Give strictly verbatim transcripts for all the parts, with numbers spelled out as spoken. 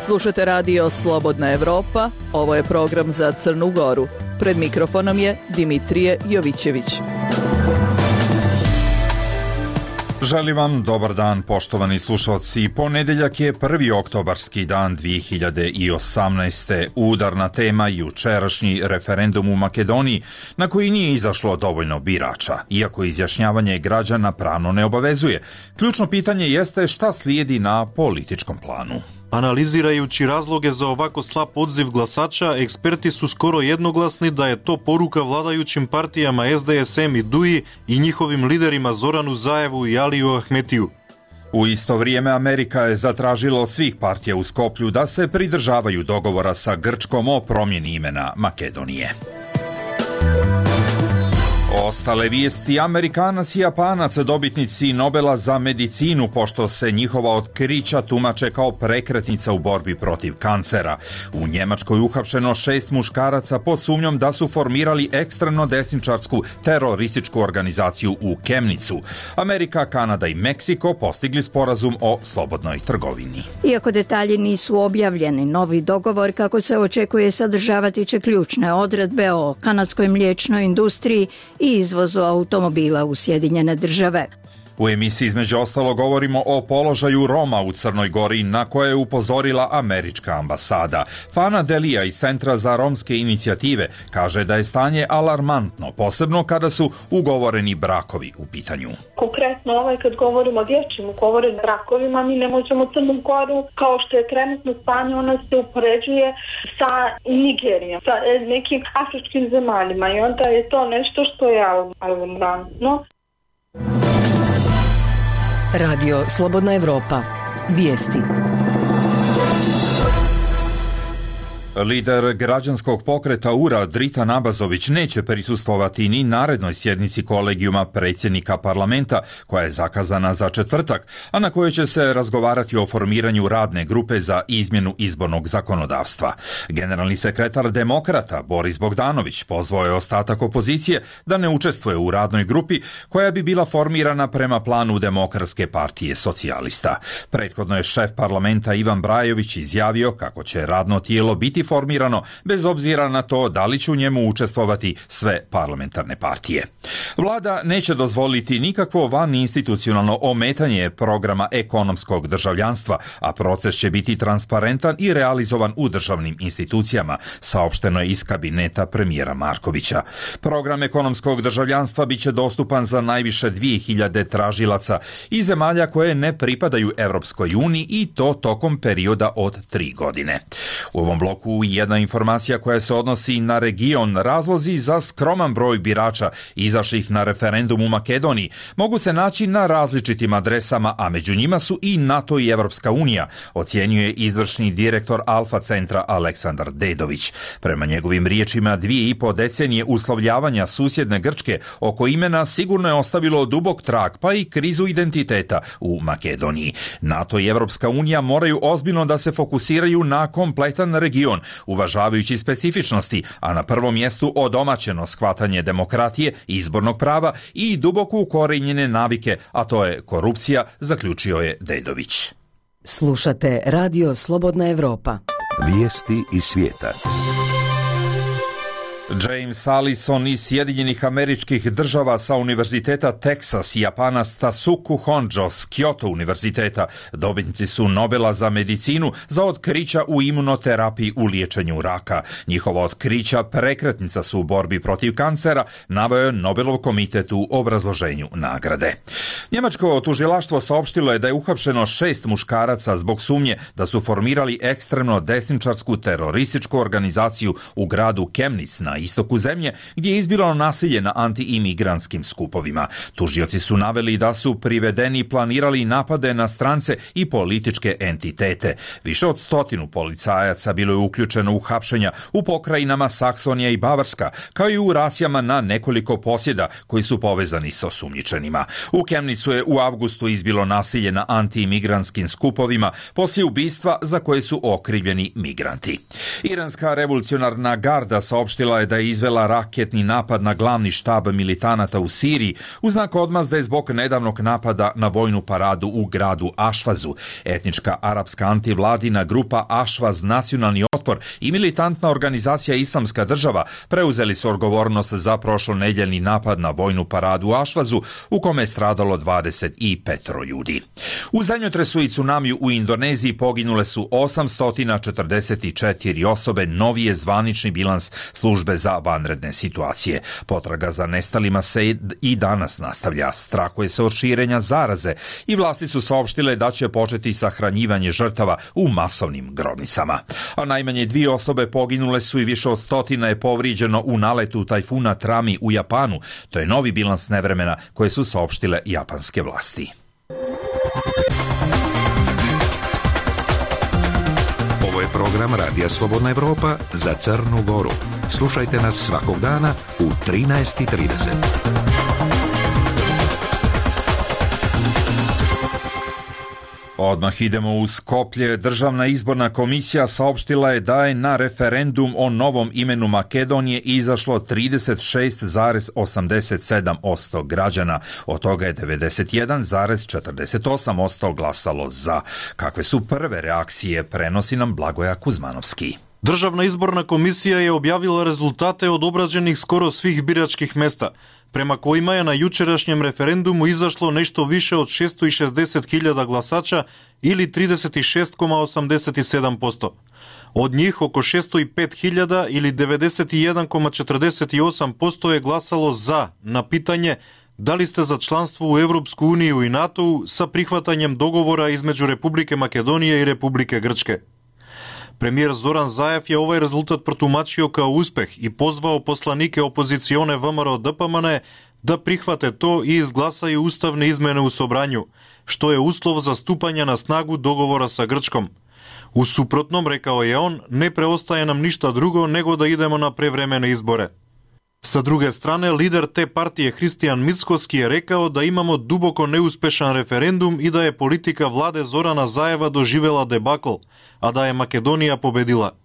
Slušate radio Slobodna Evropa, ovo je program za Crnu Goru. Pred mikrofonom je Dimitrije Jovićević. Želim vam dobar dan, poštovani slušalci. Ponedeljak je prvi oktobarski dan dvije hiljade osamnaeste. Udarna tema jučerašnji referendum u Makedoniji, na koji nije izašlo dovoljno birača, iako izjašnjavanje građana pravno ne obavezuje. Ključno pitanje jeste šta slijedi na političkom planu. Analizirajući razloge za ovako slab odziv glasača, eksperti su skoro jednoglasni da je to poruka vladajućim partijama S D S M i D U I i njihovim liderima Zoranu Zaevu i Aliju Ahmetiju. U isto vrijeme Amerika je zatražila od svih partija u Skoplju da se pridržavaju dogovora sa Grčkom o promjeni imena Makedonije. Ostale vijesti: Amerikanac i Japanac dobitnici Nobela za medicinu, pošto se njihova otkrića tumače kao prekretnica u borbi protiv kancera. U Njemačkoj uhapšeno šest muškaraca pod sumnjom da su formirali ekstremno desničarsku terorističku organizaciju u Kemnicu. Amerika, Kanada i Meksiko postigli sporazum o slobodnoj trgovini. Iako detalji nisu objavljeni, novi dogovor, kako se očekuje, sadržavati će ključne odredbe o kanadskoj mliječnoj industriji i izvozu automobila u Sjedinjene Države. U emisiji između ostalo govorimo o položaju Roma u Crnoj Gori, na koje je upozorila američka ambasada. Fana Delija iz Centra za romske inicijative kaže da je stanje alarmantno, posebno kada su ugovoreni brakovi u pitanju. Konkretno ovaj kad govorimo o dječjim ugovorenim brakovima, mi ne možemo Crnu Goru, kao što je trenutno stanje, ona se upoređuje sa Nigerijom, sa nekim afričkim zemaljima, i onda je to nešto što je alarmantno. Radio Slobodna Evropa. Vijesti. Lider građanskog pokreta U R A Dritan Abazović neće prisustvovati ni narednoj sjednici kolegijuma predsjednika parlamenta, koja je zakazana za četvrtak, a na kojoj će se razgovarati o formiranju radne grupe za izmjenu izbornog zakonodavstva. Generalni sekretar Demokrata Boris Bogdanović pozvao je ostatak opozicije da ne učestvuje u radnoj grupi koja bi bila formirana prema planu Demokratske partije socijalista. Prethodno je šef parlamenta Ivan Brajović izjavio kako će radno tijelo biti formirano bez obzira na to da li će u njemu učestvovati sve parlamentarne partije. Vlada neće dozvoliti nikakvo vaninstitucionalno ometanje programa ekonomskog državljanstva, a proces će biti transparentan i realizovan u državnim institucijama, saopšteno je iz kabineta premijera Markovića. Program ekonomskog državljanstva biće dostupan za najviše dvije hiljade tražilaca iz zemalja koje ne pripadaju Evropskoj uniji, i to tokom perioda od tri godine. U ovom bloku jedna informacija koja se odnosi na region. Razlozi za skroman broj birača izašlih na referendum u Makedoniji mogu se naći na različitim adresama, a među njima su i NATO i Evropska unija, ocjenjuje izvršni direktor Alfa centra Aleksandar Dedović. Prema njegovim riječima, dvije i po decenije uslovljavanja susjedne Grčke oko imena sigurno je ostavilo dubok trag, pa i krizu identiteta u Makedoniji. NATO i Evropska unija moraju ozbiljno da se fokusiraju na kompletan region, uvažavajući specifičnosti, a na prvom mjestu odomaćeno shvatanje demokratije, izbornog prava i duboko ukorenjene navike, a to je korupcija, zaključio je Dedović. Slušate radio Slobodna Evropa. Vijesti iz svijeta. James Allison iz Sjedinjenih Američkih Država sa Univerziteta Teksas i Japanac Tasuku Honjo s Kyoto univerziteta dobitnici su Nobela za medicinu za otkrića u imunoterapiji u liječenju raka. Njihova otkrića prekretnica su u borbi protiv kancera, naveo je Nobelov komitet u obrazloženju nagrade. Njemačko tužilaštvo saopštilo je da je uhapšeno šest muškaraca zbog sumnje da su formirali ekstremno desničarsku terorističku organizaciju u gradu Kemnic na istoku zemlje, gdje je izbilo nasilje na anti-imigrantskim skupovima. Tužioci su naveli da su privedeni i planirali napade na strance i političke entitete. Više od stotinu policajaca bilo je uključeno u hapšenja u pokrajinama Saksonija i Bavarska, kao i u racijama na nekoliko posjeda koji su povezani sa osumnjičenima. U Kemnicu je u avgustu izbilo nasilje na anti-imigrantskim skupovima poslije ubistva za koje su okrivljeni migranti. Iranska revolucionarna garda saopštila je da je izvela raketni napad na glavni štab militanata u Siriji u znak odmazde zbog nedavnog napada na vojnu paradu u gradu Ašvazu. Etnička arapska antivladina grupa Ašvaz Nacionalni otpor i militantna organizacija Islamska država preuzeli su odgovornost za prošlonedjeljni napad na vojnu paradu u Ašvazu u kome je stradalo dvadeset pet ljudi. U zemljotresu i tsunamiju u Indoneziji poginule su osamsto četrdeset četiri osobe, novi je zvanični bilans službe za vanredne situacije. Potraga za nestalima se i danas nastavlja. Strahuje se od širenja zaraze i vlasti su saopštile da će početi sahranjivanje žrtava u masovnim grobnicama. A najmanje dvije osobe poginule su i više od stotina je povrijeđeno u naletu tajfuna Trami u Japanu. To je novi bilans nevremena koje su saopštile japanske vlasti. Ovo je program Radija Slobodna Evropa za Crnu Goru. Slušajte nas svakog dana u trinaest i trideset. Odmah idemo u Skoplje. Državna izborna komisija saopštila je da je na referendum o novom imenu Makedonije izašlo trideset šest zarez osamdeset sedam posto građana. Od toga je devedeset jedan zarez četrdeset osam posto glasalo za. Kakve su prve reakcije, prenosi nam Blagoja Kuzmanovski. Državna izborna komisija je objavila rezultate od obrađenih skoro svih biračkih mesta, prema kojima je na jučerašnjem referendumu izašlo nešto više od šesto šezdeset hiljada glasača ili trideset šest zarez osamdeset sedam posto. Od njih oko šesto pet hiljada ili devedeset jedan zarez četrdeset osam posto je glasalo za na pitanje da li ste za članstvo u Evropsku uniju i NATO sa prihvatanjem dogovora između Republike Makedonije i Republike Grčke. Premijer Zoran Zaev je ovaj rezultat protumačio kao uspeh i pozvao poslanike opozicione V M R O D P M N da prihvate to i izglasaju ustavne izmene u Sobranju, što je uslov za stupanje na snagu dogovora sa Grčkom. U suprotnom, rekao je on, ne preostaje nam ništa drugo nego da idemo na prevremene izbore. Sa druge strane, lider te partije Hristijan Mickoski je rekao da imamo duboko neuspešan referendum i da je politika vlade Zorana Zaeva doživela debakl, a da je Makedonija pobedila.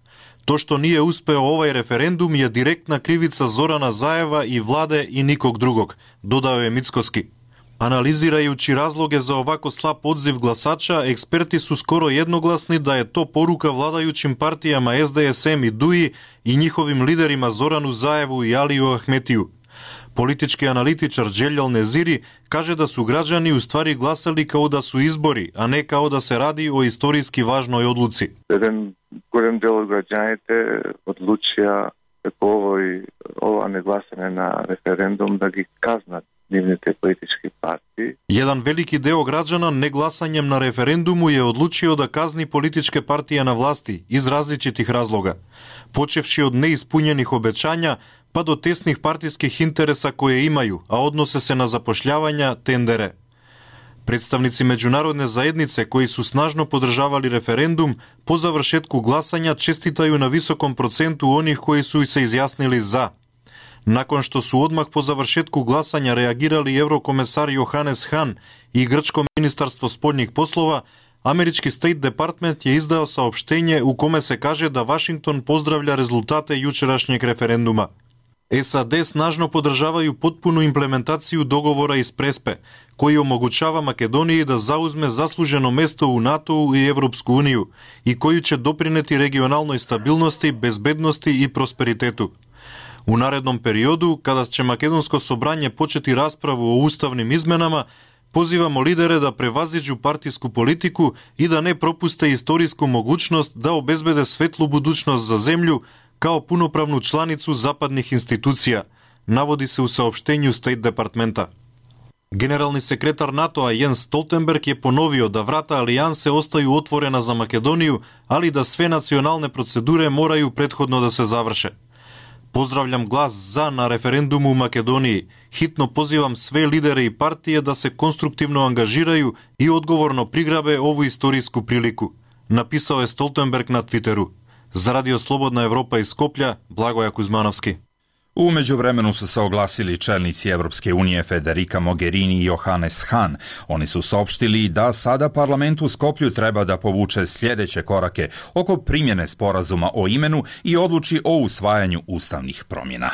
To što nije uspeo ovaj referendum je direktna krivica Zorana Zaeva i vlade i nikog drugog, dodao je Mickoski. Analizirajući razloge za ovako slab odziv glasača, eksperti su skoro jednoglasni da je to poruka vladajućim partijama S D S M i D U I i njihovim liderima Zoranu Zaevu i Aliju Ahmetiju. Politički analitičar Đeljal Neziri kaže da su građani u stvari glasali kao da su izbori, a ne kao da se radi o istorijski važnoj odluci. Jedan golem deo građanite odlučija tako ovoj, ova neglasanje na referendum da gi kaznat nivните politički partiji. Jedan veliki deo građana neglasanjem na referendumu je odlučio da kazni političke partije na vlasti iz različitih razloga, počevši od neispunjenih obećanja pa do tesnih partijskih interesa koje imaju, a odnose se na zapošljavanja, tendere. Predstavnici međunarodne zajednice koji su snažno podržavali referendum po završetku glasanja čestitaju na visokom procentu onih koji su se izjasnili za. Nakon što su odmah po završetku glasanja reagirali eurokomesar Johannes Hahn i grčko ministarstvo spoljnih poslova, američki State Department je izdao saopštenje u kome se kaže da Washington pozdravlja rezultate jučerašnjeg referenduma. S A D snažno podržavaju potpunu implementaciju dogovora iz Prespe, koji omogućava Makedoniji da zauzme zasluženo mesto u NATO i Evropsku uniju i koji će doprineti regionalnoj stabilnosti, bezbednosti i prosperitetu. U narednom periodu, kada će Makedonsko sobranje početi raspravu o ustavnim izmenama, pozivamo lidere da prevaziđu partijsku politiku i da ne propuste istorijsku mogućnost da obezbede svetlu budućnost za zemlju kao punopravnu članicu zapadnih institucija, navodi se u saopštenju State Departmenta. Generalni sekretar NATO-a Jens Stoltenberg je ponovio da vrata alijanse ostaju otvorena za Makedoniju, ali da sve nacionalne procedure moraju prethodno da se završe. Pozdravljam glas za na referendumu u Makedoniji. Hitno pozivam sve lidere i partije da se konstruktivno angažiraju i odgovorno prigrabe ovu istorijsku priliku, napisao je Stoltenberg na Twitteru. Za Radio Slobodna Evropa iz Skoplja, Blagoja Kuzmanovski. U međuvremenu su se oglasili čelnici Evropske unije Federica Mogherini i Johannes Hahn. Oni su saopštili da sada parlament u Skoplju treba da povuče sljedeće korake oko primjene sporazuma o imenu i odluči o usvajanju ustavnih promjena.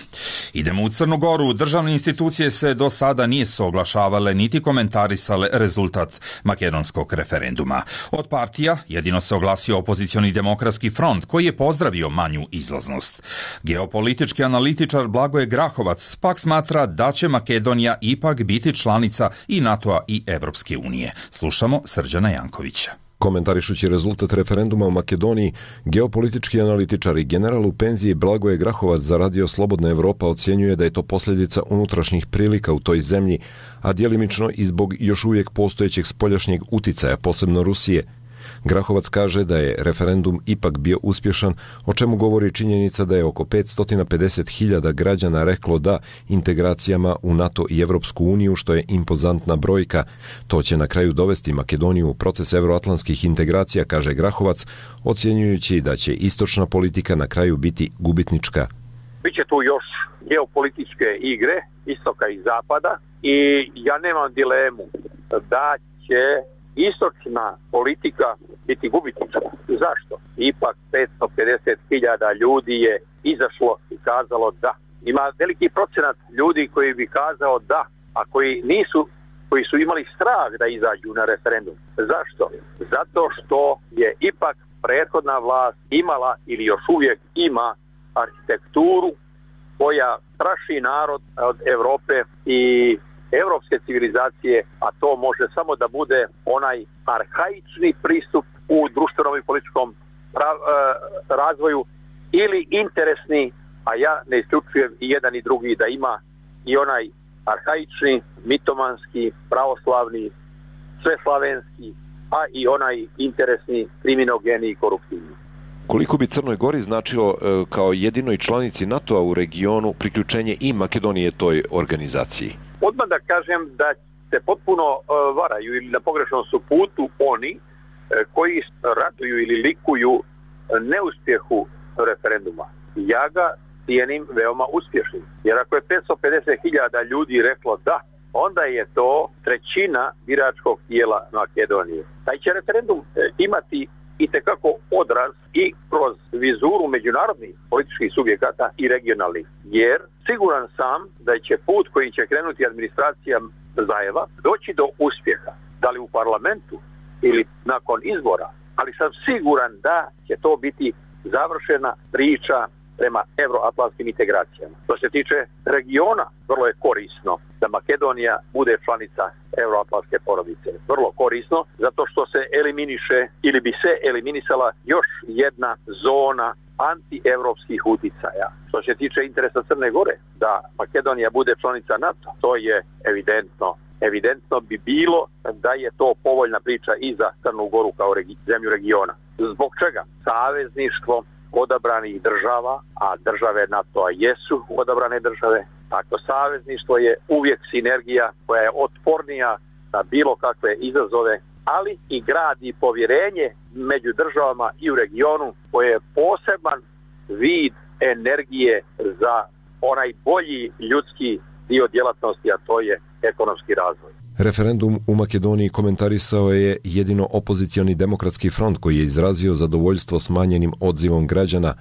Idemo u Crnu Goru. Državne institucije se do sada nisu oglašavale niti komentarisale rezultat makedonskog referenduma. Od partija jedino se oglasio opozicioni demokratski front koji je pozdravio manju izlaznost. Geopolitički analitičar Blagoje Grahovac pak smatra da će Makedonija ipak biti članica i NATO-a i Evropske unije. Slušamo Srđana Jankovića. Komentarišući rezultat referenduma u Makedoniji, geopolitički analitičar i general u penziji Blagoje Grahovac za Radio Slobodna Evropa ocjenjuje da je to posljedica unutrašnjih prilika u toj zemlji, a djelimično i zbog još uvijek postojećeg spoljašnjeg uticaja, posebno Rusije. Grahovac kaže da je referendum ipak bio uspješan, o čemu govori činjenica da je oko petsto pedeset hiljada građana reklo da integracijama u NATO i Evropsku uniju, što je impozantna brojka. To će na kraju dovesti Makedoniju u proces euroatlantskih integracija, kaže Grahovac, ocjenjujući da će istočna politika na kraju biti gubitnička. Biće tu još geopolitičke igre istoka i zapada i ja nemam dilemu da će istočna politika biti gubitnička. Zašto? Ipak petsto pedeset hiljada ljudi je izašlo i kazalo da. Ima veliki procenat ljudi koji bi kazao da, a koji nisu, koji su imali strah da izađu na referendum. Zašto? Zato što je ipak prethodna vlast imala ili još uvijek ima arhitekturu koja straši narod od Europe i evropske civilizacije, a to može samo da bude onaj arhaični pristup u društvenom i političkom razvoju ili interesni, a ja ne isključujem i jedan i drugi da ima i onaj arhaični, mitomanski, pravoslavni, sveslavenski, a i onaj interesni, kriminogeni i koruptivni. Koliko bi Crnoj Gori značilo e, kao jedinoj članici NATO-a u regionu priključenje i Makedonije toj organizaciji? Odmah da kažem da se potpuno uh, varaju ili na pogrešnom su putu oni uh, koji raduju ili likuju uh, neuspjehu referenduma. Ja ga cijenim veoma uspješnim. Jer ako je petsto pedeset hiljada ljudi reklo da, onda je to trećina biračkog tijela Makedonije. Taj će referendum uh, imati itekako odraz i kroz vizuru međunarodnih političkih subjekata i regionalnih. Jer siguran sam da će put koji će krenuti administracija Zajeva doći do uspjeha. Da li u parlamentu ili nakon izbora. Ali sam siguran da će to biti završena priča prema euroatlantskim integracijama. Što se tiče regiona, vrlo je korisno da Makedonija bude članica euroatlantske porodice. Vrlo korisno, zato što se eliminiše ili bi se eliminisala još jedna zona antievropskih uticaja. Što se tiče interesa Crne Gore, da Makedonija bude članica NATO, to je evidentno. Evidentno bi bilo da je to povoljna priča i za Crnu Goru kao regi- zemlju regiona. Zbog čega? Savezništvo odabranih država, a države NATO-a jesu odabrane države. Tako savezništvo je uvijek sinergija koja je otpornija na bilo kakve izazove, ali i gradi povjerenje među državama i u regionu koje je poseban vid energije za onaj bolji ljudski dio djelatnosti, a to je ekonomski razvoj. Referendum u Makedoniji komentarisao je jedino opozicioni demokratski front koji je izrazio zadovoljstvo smanjenim odzivom građana.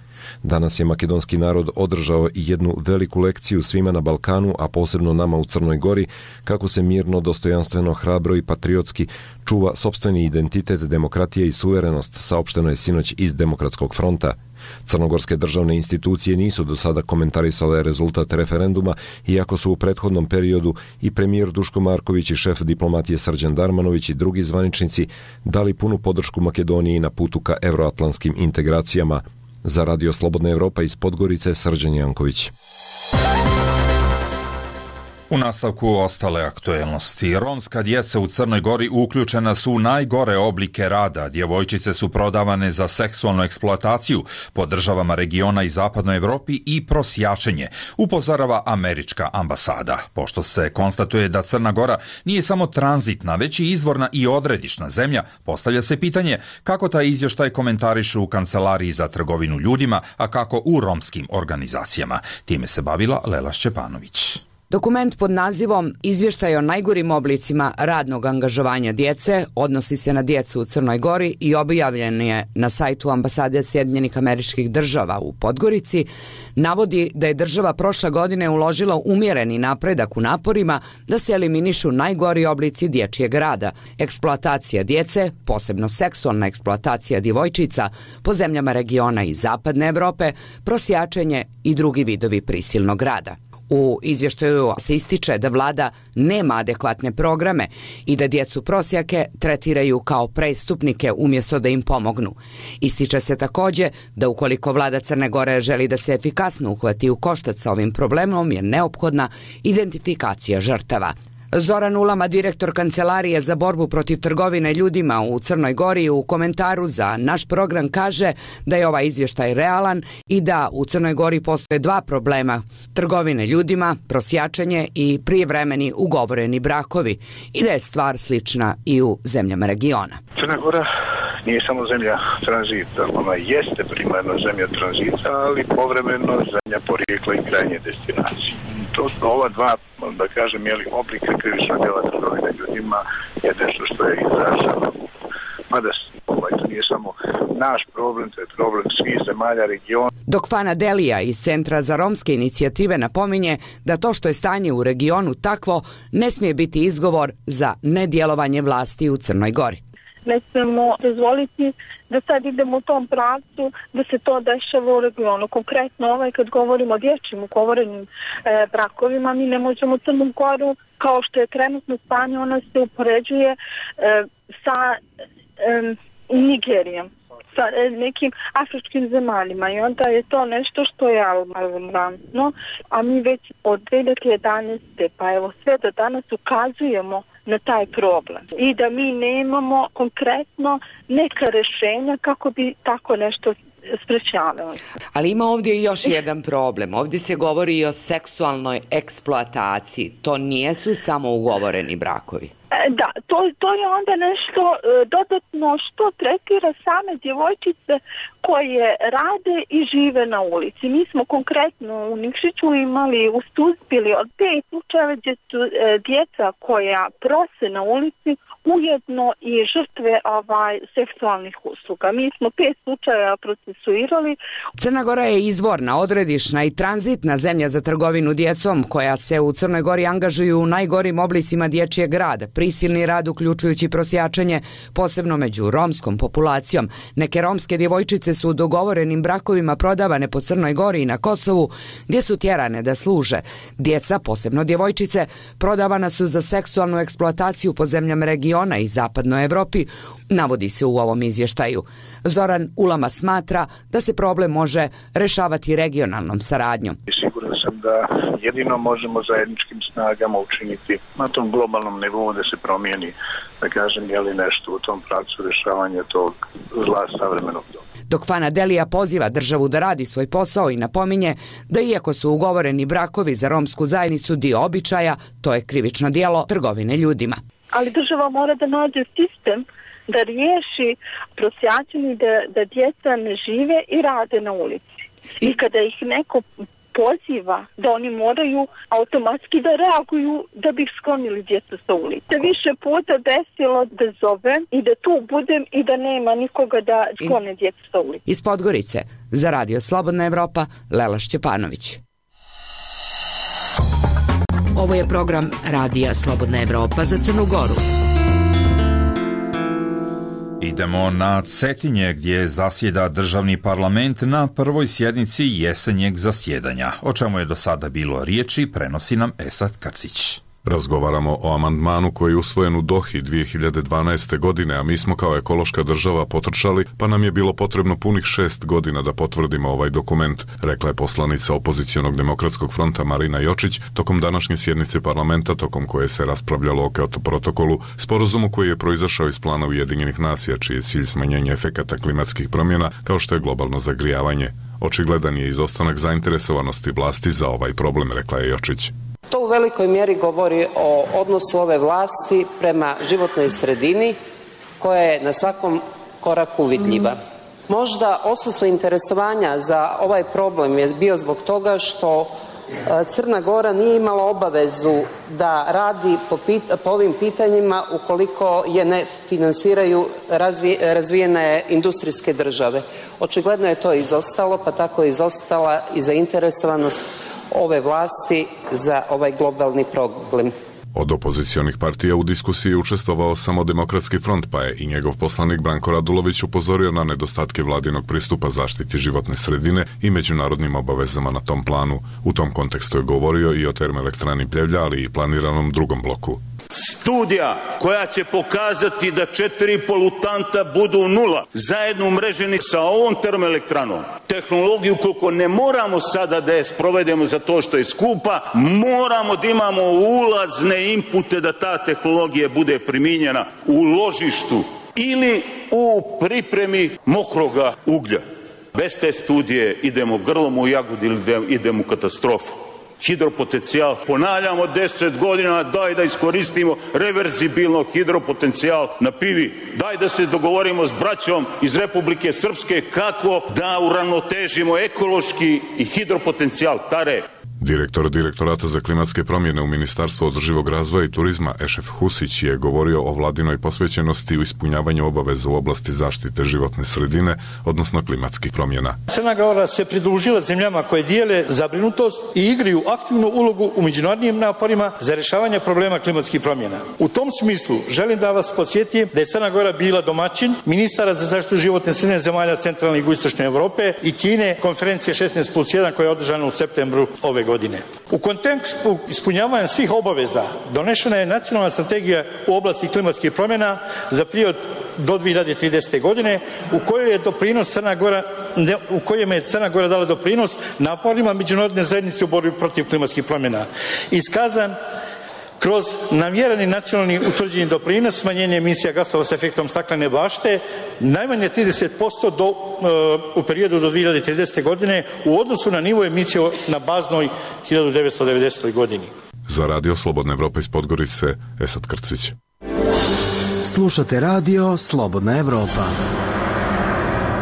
Danas je makedonski narod održao i jednu veliku lekciju svima na Balkanu, a posebno nama u Crnoj Gori, kako se mirno, dostojanstveno, hrabro i patriotski čuva sopstveni identitet, demokratija i suverenost, saopšteno je sinoć iz Demokratskog fronta. Crnogorske državne institucije nisu do sada komentarisale rezultat referenduma, iako su u prethodnom periodu i premijer Duško Marković i šef diplomatije Srđan Darmanović i drugi zvaničnici dali punu podršku Makedoniji na putu ka euroatlantskim integracijama. Za Radio Slobodna Evropa iz Podgorice, Srđan Janković. U nastavku ostale aktuelnosti. Romska djeca u Crnoj Gori uključena su u najgore oblike rada. Djevojčice su prodavane za seksualnu eksploataciju po državama regiona i zapadnoj Europi i prosjačenje, upozorava američka ambasada. Pošto se konstatuje da Crna Gora nije samo tranzitna, već i izvorna i odredišna zemlja, postavlja se pitanje kako taj izvještaj komentarišu u Kancelariji za trgovinu ljudima, a kako u romskim organizacijama. Time se bavila Lela Šćepanović. Dokument pod nazivom Izvještaj o najgorim oblicima radnog angažovanja djece odnosi se na djecu u Crnoj Gori i objavljen je na sajtu ambasade Sjedinjenih Američkih Država u Podgorici. Navodi da je država prošle godine uložila umjereni napredak u naporima da se eliminišu najgori oblici dječjeg rada, eksploatacija djece, posebno seksualna eksploatacija djevojčica po zemljama regiona i zapadne Europe, prosjačenje i drugi vidovi prisilnog rada. U izvještaju se ističe da vlada nema adekvatne programe i da djecu prosjake tretiraju kao prestupnike umjesto da im pomognu. Ističe se također da ukoliko vlada Crne Gore želi da se efikasno uhvati u koštac sa ovim problemom je neophodna identifikacija žrtava. Zoran Ulama, direktor Kancelarije za borbu protiv trgovine ljudima u Crnoj Gori, u komentaru za naš program kaže da je ovaj izvještaj realan i da u Crnoj Gori postoje dva problema: trgovine ljudima, prosjačenje i prijevremeni ugovoreni brakovi, i da je stvar slična i u zemljama regiona. Crna Gora nije samo zemlja tranzita, ona jeste primarno zemlja tranzita, ali povremeno zemlja porijekla i krajnje destinacije. To, ova dva, da kažem, jeli, oblika krivičnog djela trgovine ljudima je nešto što je izraženo. Mada ovaj, to nije samo naš problem, to je problem svih zemalja regiona. Dok Fana Delija iz Centra za romske inicijative napominje da to što je stanje u regionu takvo ne smije biti izgovor za nedjelovanje vlasti u Crnoj Gori. Ne smijemo dozvoliti da sad idemo u tom pravcu, da se to dešava u regionu. Konkretno ovaj, kad govorimo o dječjim ugovorenim e, brakovima, mi ne možemo Crnu Goru, kao što je trenutno stanje, ona se upoređuje e, sa e, Nigerijom, sa e, nekim afričkim zemaljima, i onda je to nešto što je alarmantno, a mi već od dvije hiljade jedanaeste pa evo sve do danas ukazujemo na taj problem i da mi nemamo konkretno neka rješenja kako bi tako nešto sprečavali. Ali ima ovdje još jedan problem. Ovdje se govori i o seksualnoj eksploataciji. To nijesu samo ugovoreni brakovi. Da, to, to je onda nešto e, dodatno što tretira same djevojčice koje rade i žive na ulici. Mi smo konkretno u Nikšiću imali u Stuzbili od pet slučajeva gdje su e, djeca koja prose na ulici ujedno i žrtve ovaj, seksualnih usluga. Mi smo pet slučajeva procesuirali. Crna Gora je izvorna, odredišna i tranzitna zemlja za trgovinu djecom, koja se u Crnoj Gori angažuju u najgorim oblicima dječjeg rada, prisilni rad uključujući prosjačenje, posebno među romskom populacijom. Neke romske djevojčice su u dogovorenim brakovima prodavane po Crnoj Gori i na Kosovu, gdje su tjerane da služe. Djeca, posebno djevojčice, prodavana su za seksualnu eksploataciju po zemljama regiona i zapadnoj Europi, navodi se u ovom izvještaju. Zoran Ulama smatra da se problem može rešavati regionalnom saradnjom. Siguran sam da jedino možemo zajedničkim snagama učiniti na tom globalnom nivou da se promijeni, da kažem, je li nešto u tom pravcu rješavanja tog zla savremenog doba. Dok Fana Delija poziva državu da radi svoj posao i napominje da iako su ugovoreni brakovi za romsku zajednicu dio običaja, to je krivično djelo trgovine ljudima. Ali država mora da nađe sistem da riješi prosjačenje, da, da djeca ne žive i rade na ulici. I kada ih neko poziva da oni moraju automatski da reaguju da bi sklonili djecu sa ulice. Više puta desilo da zovem i da tu budem i da nema nikoga da sklone djecu sa ulice. Iz Podgorice, za Radio Slobodna Evropa, Lela Šćepanović. Ovo je program Radija Slobodna Evropa za Crnu Goru. Idemo na Cetinje gdje zasjeda državni parlament na prvoj sjednici jesenjeg zasjedanja. O čemu je do sada bilo riječi, prenosi nam Esad Krcić. Razgovaramo o amandmanu koji je usvojen u Dohi dvije hiljade dvanaeste. godine, a mi smo kao ekološka država potrčali, pa nam je bilo potrebno punih šest godina da potvrdimo ovaj dokument, rekla je poslanica opozicionog demokratskog fronta Marina Jočić tokom današnje sjednice parlamenta, tokom koje se raspravljalo o Kyoto protokolu, sporazumu koji je proizašao iz plana Ujedinjenih nacija, čiji je cilj smanjenje efekata klimatskih promjena, kao što je globalno zagrijavanje. Očigledan je izostanak zainteresovanosti vlasti za ovaj problem, rekla je Jočić. To u velikoj mjeri govori o odnosu ove vlasti prema životnoj sredini koja je na svakom koraku vidljiva. Možda odsustvo interesovanja za ovaj problem je bio zbog toga što Crna Gora nije imala obavezu da radi po, pit, po ovim pitanjima ukoliko je ne finansiraju razvi, razvijene industrijske države. Očigledno je to izostalo, pa tako je izostala i zainteresovanost ove vlasti za ovaj globalni problem. Od opozicionih partija u diskusiji je učestvovao samo Demokratski front, pa je i njegov poslanik Branko Radulović upozorio na nedostatke vladinog pristupa zaštiti životne sredine i međunarodnim obavezama na tom planu. U tom kontekstu je govorio i o termoelektrani Pljevlja, ali i planiranom drugom bloku. Studija koja će pokazati da četiri polutanta budu nula, zajedno umreženi sa ovom termoelektranom, tehnologiju koliko ne moramo sada da je sprovedemo za to što je skupa, moramo da imamo ulazne inpute da ta tehnologija bude primijenjena u ložištu ili u pripremi mokroga uglja. Bez te studije idemo grlom u jagodi ili idemo u katastrofu. Hidropotencijal, ponavljamo deset godina, daj da iskoristimo reverzibilno hidropotencijal na Pivi, daj da se dogovorimo s braćom iz Republike Srpske kako da uravnotežimo ekološki i hidropotencijal Tare. Direktor Direktorata za klimatske promjene u Ministarstvu održivog razvoja i turizma Ešef Husić je govorio o vladinoj posvećenosti u ispunjavanju obaveza u oblasti zaštite životne sredine, odnosno klimatskih promjena. Crna Gora se pridružila zemljama koje dijele zabrinutost i igraju aktivnu ulogu u međunarodnim naporima za rješavanje problema klimatskih promjena. U tom smislu želim da vas podsjetim da je Crna Gora bila domaćin ministara za zaštitu životne sredine zemalja centralne i jugoistočne Europe i Kine konferencije šesnaest plus jedan koja je održana u septembru ove godine. U kontekstu ispunjavanja svih obaveza donešena je nacionalna strategija u oblasti klimatskih promjena za period do dvije hiljade tridesete. godine u kojoj je doprinos Crna Gora, u kojem je Crna Gora dala doprinos naporima međunarodne zajednice u borbi protiv klimatskih promjena. Iskazan kroz namjereni nacionalni utvrđeni doprinos smanjenja emisija gasova s efektom staklene bašte najmanje trideset posto do, u periodu do dvije hiljade tridesete. godine u odnosu na nivo emisije na baznoj hiljadu devetsto devedesetoj. godini. Za Radio Slobodna Evropa iz Podgorice, Esad Krcić. Slušate Radio Slobodna Evropa.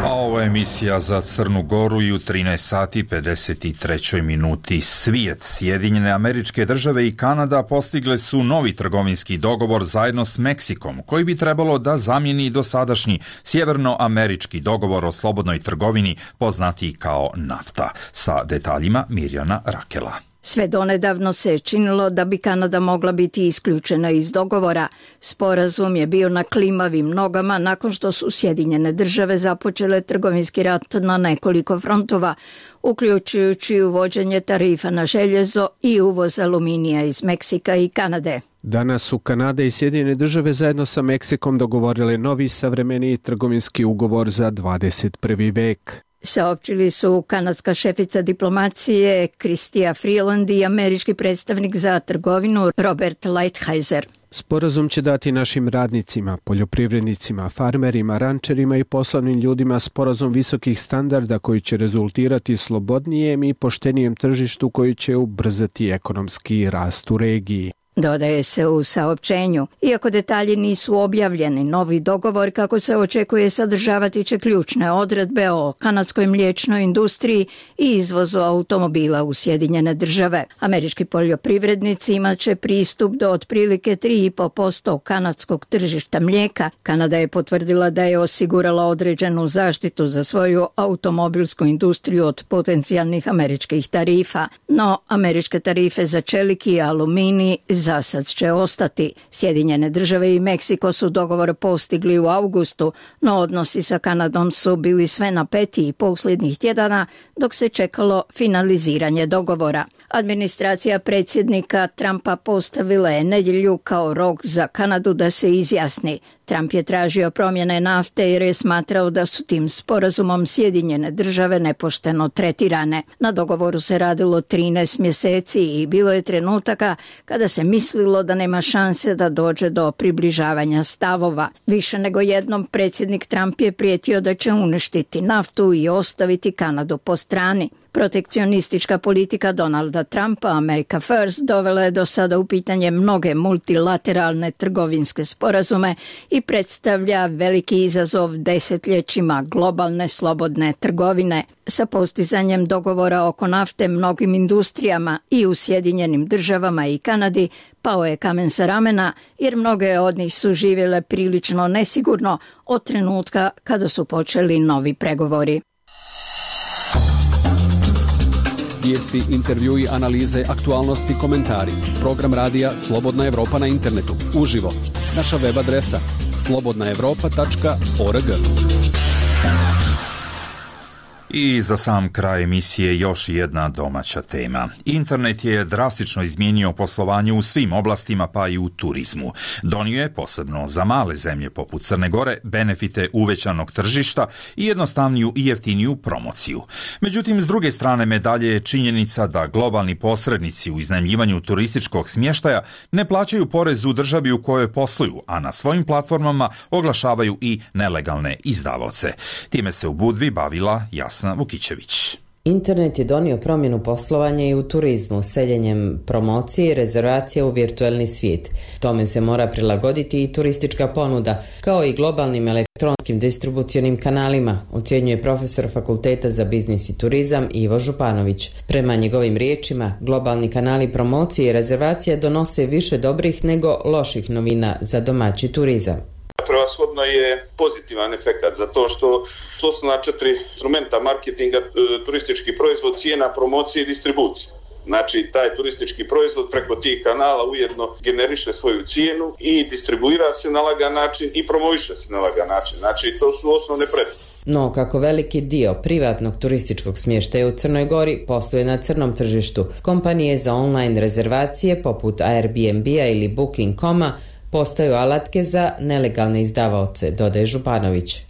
A ovo je emisija za Crnu Goru i u trinaest sati pedeset trećoj minuti svijet. Sjedinjene Američke Države i Kanada postigle su novi trgovinski dogovor zajedno s Meksikom, koji bi trebalo da zamijeni dosadašnji sjevernoamerički dogovor o slobodnoj trgovini, poznatiji kao NAFTA. Sa detaljima Mirjana Rakela. Sve donedavno se činilo da bi Kanada mogla biti isključena iz dogovora. Sporazum je bio na klimavim nogama nakon što su Sjedinjene Države započele trgovinski rat na nekoliko frontova, uključujući uvođenje tarifa na željezo i uvoz aluminija iz Meksika i Kanade. Danas su Kanada i Sjedinjene Države zajedno sa Meksikom dogovorili novi savremeniji trgovinski ugovor za dvadeset prvi vek. Saopćili su kanadska šefica diplomacije Chrystia Freeland i američki predstavnik za trgovinu Robert Lighthizer. Sporazum će dati našim radnicima, poljoprivrednicima, farmerima, rančerima i poslovnim ljudima sporazum visokih standarda koji će rezultirati slobodnijem i poštenijem tržištu koji će ubrzati ekonomski rast u regiji. Dodaje se u saopćenju. Iako detalji nisu objavljeni, novi dogovor kako se očekuje sadržavati će ključne odredbe o kanadskoj mliječnoj industriji i izvozu automobila u Sjedinjene Države. Američki poljoprivrednici imat će pristup do otprilike tri i po posto kanadskog tržišta mlijeka. Kanada je potvrdila da je osigurala određenu zaštitu za svoju automobilsku industriju od potencijalnih američkih tarifa. No, američke tarife za čelik i aluminij za sad će ostati. Sjedinjene države i Meksiko su dogovor postigli u augustu, no odnosi sa Kanadom su bili sve napetiji posljednjih tjedana dok se čekalo finaliziranje dogovora. Administracija predsjednika Trumpa postavila je nedjelju kao rok za Kanadu da se izjasni. Trump je tražio promjene nafte jer je smatrao da su tim sporazumom Sjedinjene države nepošteno tretirane. Na dogovoru se radilo trinaest mjeseci i bilo je trenutaka kada se mislilo da nema šanse da dođe do približavanja stavova. Više nego jednom predsjednik Trump je prijetio da će uništiti naftu i ostaviti Kanadu po strani. Protekcionistička politika Donalda Trumpa, America First, dovela je do sada u pitanje mnoge multilateralne trgovinske sporazume i predstavlja veliki izazov desetljećima globalne slobodne trgovine. Sa postizanjem dogovora oko nafte mnogim industrijama i u Sjedinjenim državama i Kanadi pao je kamen sa ramena jer mnoge od njih su živjele prilično nesigurno od trenutka kada su počeli novi pregovori. Vijesti, intervjui, analize, aktualnosti, komentari. Program radija Slobodna Evropa na internetu. Uživo. Naša web adresa slobodna evropa tačka org. I za sam kraj emisije još jedna domaća tema. Internet je drastično izmijenio poslovanje u svim oblastima, pa i u turizmu. Donio je, posebno za male zemlje poput Crne Gore, benefite uvećanog tržišta i jednostavniju i jeftiniju promociju. Međutim, s druge strane medalje je činjenica da globalni posrednici u iznajmljivanju turističkog smještaja ne plaćaju porez u državi u kojoj posluju, a na svojim platformama oglašavaju i nelegalne izdavaoce. Time se u Budvi bavila Jasna Vukićević. Internet je donio promjenu poslovanja i u turizmu, seljenjem promocije i rezervacije u virtualni svijet. Tome se mora prilagoditi i turistička ponuda, kao i globalnim elektronskim distribucionim kanalima, ocjenjuje profesor Fakulteta za biznis i turizam Ivo Županović. Prema njegovim riječima, globalni kanali promocije i rezervacije donose više dobrih nego loših novina za domaći turizam. Prevashodno je pozitivan efekt zato što su osnovna četiri instrumenta marketinga, turistički proizvod, cijena, promocija i distribucija. Znači, taj turistički proizvod preko tih kanala ujedno generiše svoju cijenu i distribuira se na lagan način i promoviše se na lagan način. Znači, to su osnovne prednosti. No, kako veliki dio privatnog turističkog smještaja u Crnoj Gori posluje na crnom tržištu, kompanije za online rezervacije poput Airbnb-a ili booking dot com-a postaju alatke za nelegalne izdavaoce, dodaje Županović.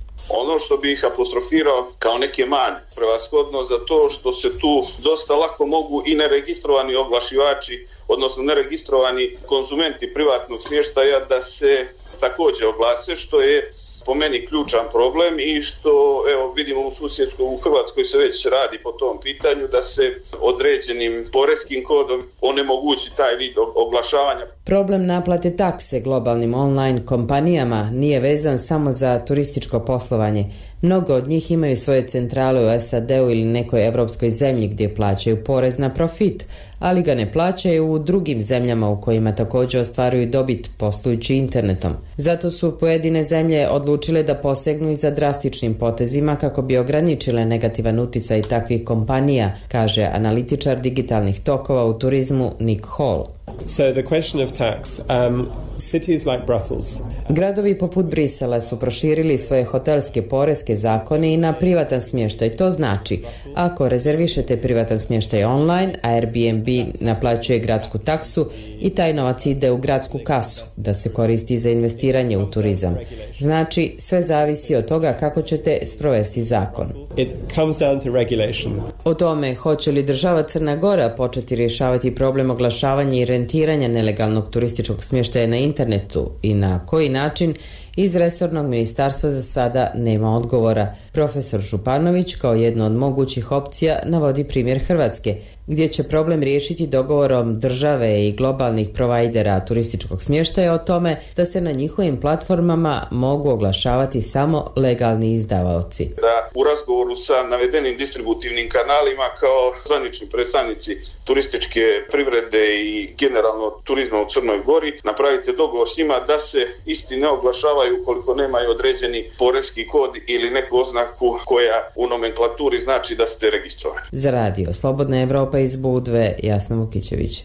Ono što bih apostrofirao kao neke mane, prevashodno za to što se tu dosta lako mogu i neregistrovani oglašivači, odnosno neregistrovani konzumenti privatnog smještaja da se također oglase, što je po meni ključan problem i što evo vidimo u susjedskoj u Hrvatskoj se već radi po tom pitanju da se određenim poreskim kodom onemogući taj vid oglašavanja. Problem naplate takse globalnim online kompanijama nije vezan samo za turističko poslovanje. Mnogo od njih imaju svoje centrale u S A D-u ili nekoj evropskoj zemlji gdje plaćaju porez na profit, ali ga ne plaćaju u drugim zemljama u kojima također ostvaruju dobit poslujući internetom. Zato su pojedine zemlje odlučile da posegnu i za drastičnim potezima kako bi ograničile negativan utjecaj takvih kompanija, kaže analitičar digitalnih tokova u turizmu Nick Hall. So the question of tax, um, cities like Brussels. Gradovi poput Brisela su proširili svoje hotelske poreske zakone i na privatan smještaj. To znači, ako rezervišete privatan smještaj online, Airbnb naplaćuje gradsku taksu i taj novac ide u gradsku kasu, da se koristi za investiranje u turizam. Znači, sve zavisi od toga kako ćete sprovesti zakon. It comes down to regulation. O tome hoće li država Crna Gora početi rješavati problem oglašavanja i rentiranja nelegalnog turističkog smještaja na internetu i na koji način, iz resornog ministarstva za sada nema odgovora. Profesor Županović kao jedno od mogućih opcija navodi primjer Hrvatske, gdje će problem riješiti dogovorom države i globalnih provajdera turističkog smještaja o tome da se na njihovim platformama mogu oglašavati samo legalni izdavaoci. Da u razgovoru sa navedenim distributivnim kanalima kao zvanični predstavnici turističke privrede i generalno turizma u Crnoj Gori napravite dogovor s njima da se isti ne oglašavaju ukoliko nemaju određeni poreski kod ili neku oznaku koja u nomenklaturi znači da ste registrovani. Za radio Slobodna Evropa iz Budve, Jasna Vukićević.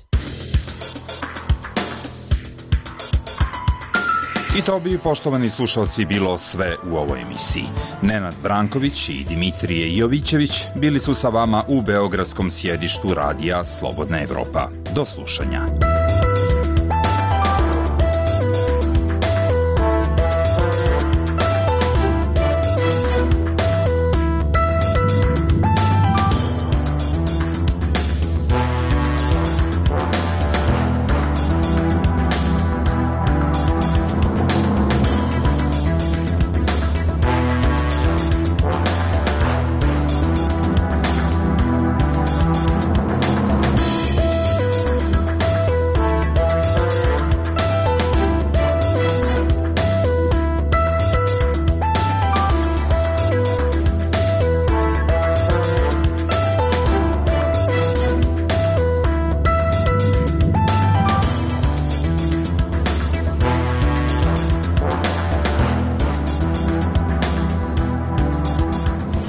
I to bi, poštovani slušalci, bilo sve u ovoj emisiji. Nenad Branković i Dimitrije Jovićević bili su sa vama u beogradskom sjedištu radija Slobodna Evropa. Do slušanja.